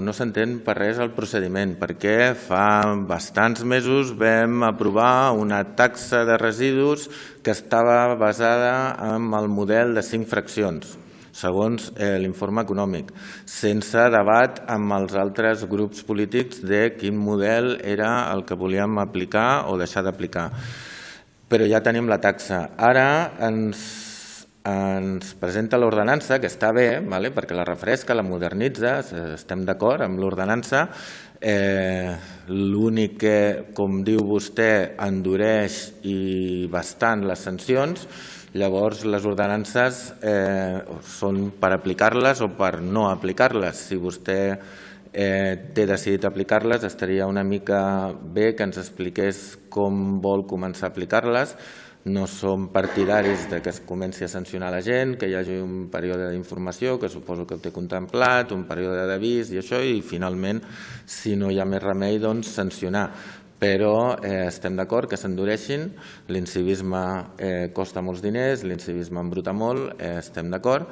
No s'entén per res el procediment, perquè fa bastants mesos vam aprovar una taxa de residus que estava basada en el model de 5 fraccions, segons l'informe econòmic, sense debat amb els altres grups polítics de quin model era el que volíem aplicar o deixar d'aplicar. Però ja tenim la taxa. Ara ens presenta l'ordenança, que està bé, perquè la refresca, la modernitza, estem d'acord amb l'ordenança. L'únic que, com diu vostè, endureix i bastant les sancions. Llavors, les ordenances són per aplicar-les o per no aplicar-les. Si vostè té decidit aplicar-les, estaria una mica bé que ens expliqués com vol començar a aplicar-les. No som partidaris que es comenci a sancionar la gent, que hi hagi un període d'informació, que suposo que ho té contemplat, un període d'avís i això, i finalment, si no hi ha més remei, doncs sancionar. Però estem d'acord que s'endureixin, l'incivisme costa molts diners, l'incivisme embruta molt, estem d'acord,